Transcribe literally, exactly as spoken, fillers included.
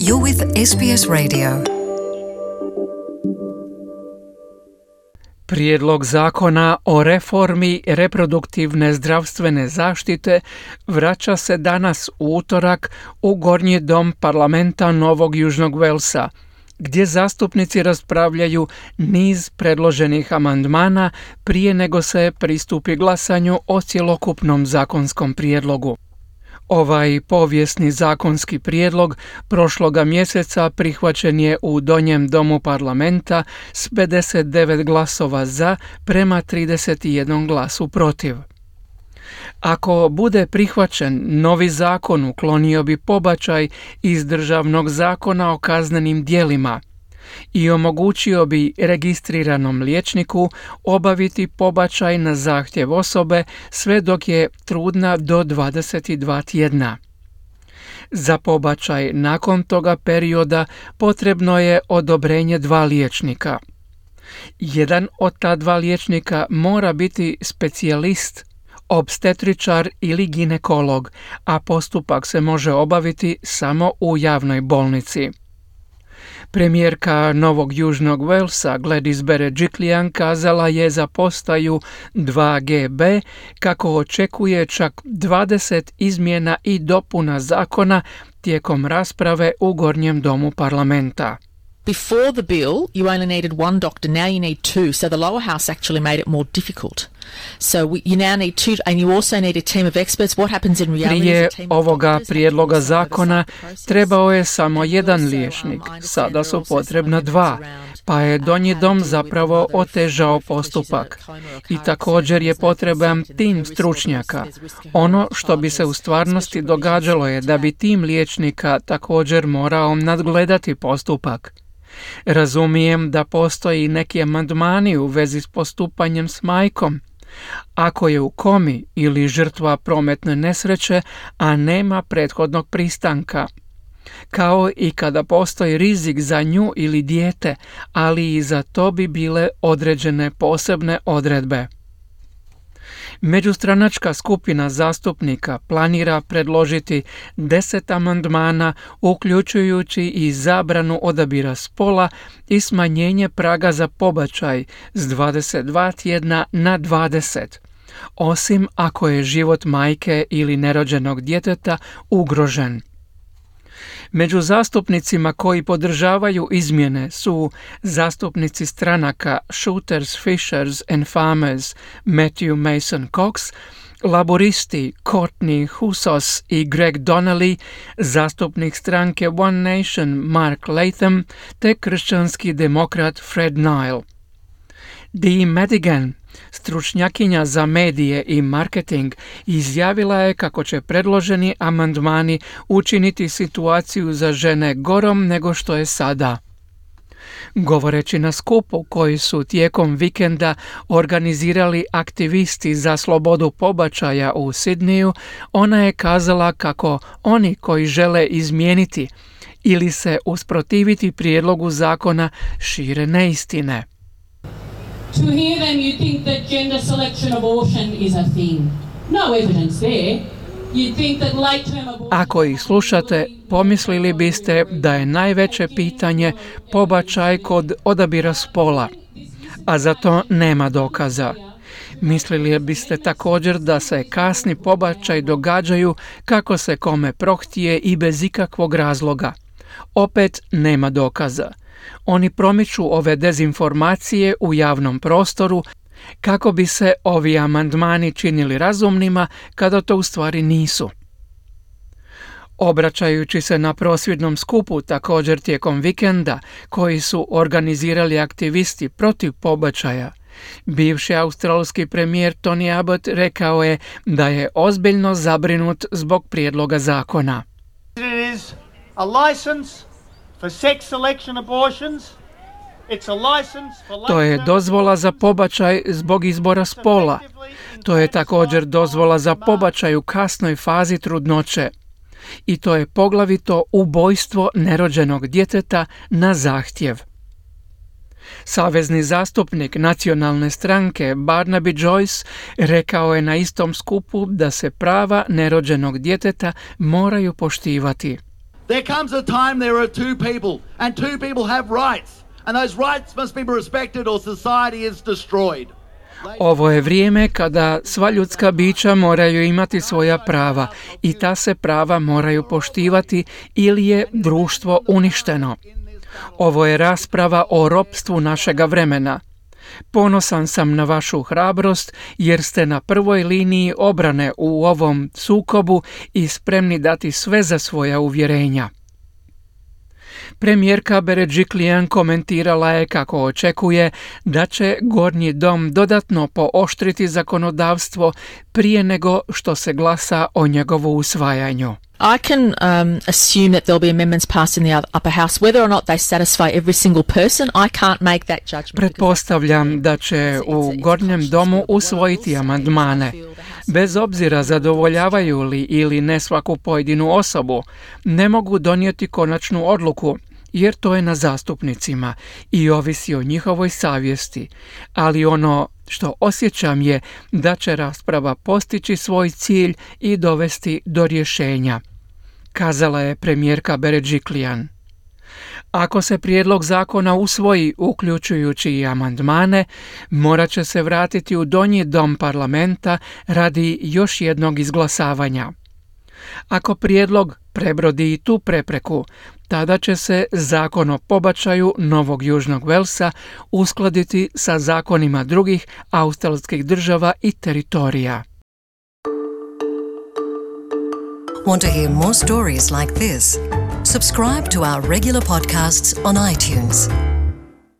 You're with S B S Radio. Prijedlog zakona o reformi reproduktivne zdravstvene zaštite vraća se danas u utorak u Gornji dom parlamenta Novog Južnog Velsa, gdje zastupnici raspravljaju niz predloženih amandmana prije nego se pristupi glasanju o cjelokupnom zakonskom prijedlogu. Ovaj povijesni zakonski prijedlog prošloga mjeseca prihvaćen je u Donjem domu parlamenta s pedeset devet glasova za prema trideset jedan glasu protiv. Ako bude prihvaćen, novi zakon uklonio bi pobačaj iz državnog zakona o kaznenim djelima i omogućio bi registriranom liječniku obaviti pobačaj na zahtjev osobe sve dok je trudna do dvadeset dva tjedna. Za pobačaj nakon toga perioda potrebno je odobrenje dva liječnika. Jedan od ta dva liječnika mora biti specijalist, opstetričar ili ginekolog, a postupak se može obaviti samo u javnoj bolnici. Premijerka Novog Južnog Velsa Gladys Berejiklian kazala je za postaju dva G B kako očekuje čak dvadeset izmjena i dopuna zakona tijekom rasprave u Gornjem domu parlamenta. Before the bill, you only needed one doctor. Now you need two. So the lower house actually made it more difficult. So we, you now need two, and you also need a team of experts. What happens in reality? Prije ovoga prijedloga zakona trebao je samo jedan liječnik. Sada su potrebna dva, pa je Donji dom zapravo otežao postupak. I također je potreban tim stručnjaka. Ono što bi se u stvarnosti događalo je da bi tim liječnika također morao nadgledati postupak. Razumijem da postoji neki amandmani u vezi s postupanjem s majkom. Ako je u komi ili žrtva prometne nesreće, a nema prethodnog pristanka. Kao i kada postoji rizik za nju ili dijete, ali i za to bi bile određene posebne odredbe. Međustranačka skupina zastupnika planira predložiti deset amandmana, uključujući i zabranu odabira spola i smanjenje praga za pobačaj s dvadeset dva tjedna na dvadeset, osim ako je život majke ili nerođenog djeteta ugrožen. Među zastupnicima koji podržavaju izmjene su zastupnici stranaka Shooters, Fishers and Farmers Matthew Mason Cox, laboristi Courtney Houssos i Greg Donnelly, zastupnik stranke One Nation Mark Latham te kršćanski demokrat Fred Nile. Dee Madigan, stručnjakinja za medije i marketing, izjavila je kako će predloženi amandmani učiniti situaciju za žene gorom nego što je sada. Govoreći na skupu koji su tijekom vikenda organizirali aktivisti za slobodu pobačaja u Sidneyu, ona je kazala kako oni koji žele izmijeniti ili se usprotiviti prijedlogu zakona šire neistine. To hear them, you think that gender selection abortion is a thing. No evidence there. You think that late-term abortion... Ako ih slušate, pomislili biste da je najveće pitanje pobačaj kod odabira spola, a za to nema dokaza. Mislili biste također da se kasni pobačaj događaju kako se kome prohtije i bez ikakvog razloga. Opet nema dokaza. Oni promiču ove dezinformacije u javnom prostoru kako bi se ovi amandmani činili razumnima kada to u stvari nisu. Obraćajući se na prosvjednom skupu također tijekom vikenda koji su organizirali aktivisti protiv pobačaja, bivši australski premijer Tony Abbott rekao je da je ozbiljno zabrinut zbog prijedloga zakona. It is a license for sex selection abortions. It's a license for To je dozvola za pobačaj zbog izbora spola. To je također dozvola za pobačaj u kasnoj fazi trudnoće. I to je poglavito ubojstvo nerođenog djeteta na zahtjev. Savezni zastupnik nacionalne stranke Barnaby Joyce rekao je na istom skupu da se prava nerođenog djeteta moraju poštivati. There comes a time there are two people, and two people have rights, and those rights must be respected or society is destroyed. Ovo je vrijeme kada sva ljudska bića moraju imati svoja prava i ta se prava moraju poštivati ili je društvo uništeno. Ovo je rasprava o ropstvu našega vremena. Ponosan sam na vašu hrabrost jer ste na prvoj liniji obrane u ovom sukobu i spremni dati sve za svoja uvjerenja. Premijerka Berejiklian komentirala je kako očekuje da će Gornji dom dodatno pooštriti zakonodavstvo prije nego što se glasa o njegovu usvajanju. I can um, assume that there'll be amendments passed in the upper house. Whether or not they satisfy every single person, I can't make that judgment. Pretpostavljam da će u Gornjem domu usvojiti amandmane. Bez obzira zadovoljavaju li ili ne svaku pojedinu osobu, ne mogu donijeti konačnu odluku, jer to je na zastupnicima i ovisi o njihovoj savjesti. Ali ono što osjećam je da će rasprava postići svoj cilj i dovesti do rješenja, kazala je premijerka Berejiklian. Ako se prijedlog zakona usvoji, uključujući i amandmane, morat će se vratiti u donji dom parlamenta radi još jednog izglasavanja. Ako prijedlog prebrodi i tu prepreku, tada će se zakon o pobačaju Novog Južnog Velsa uskladiti sa zakonima drugih australskih država i teritorija. Want to hear more stories like this? Subscribe to our regular podcasts on iTunes.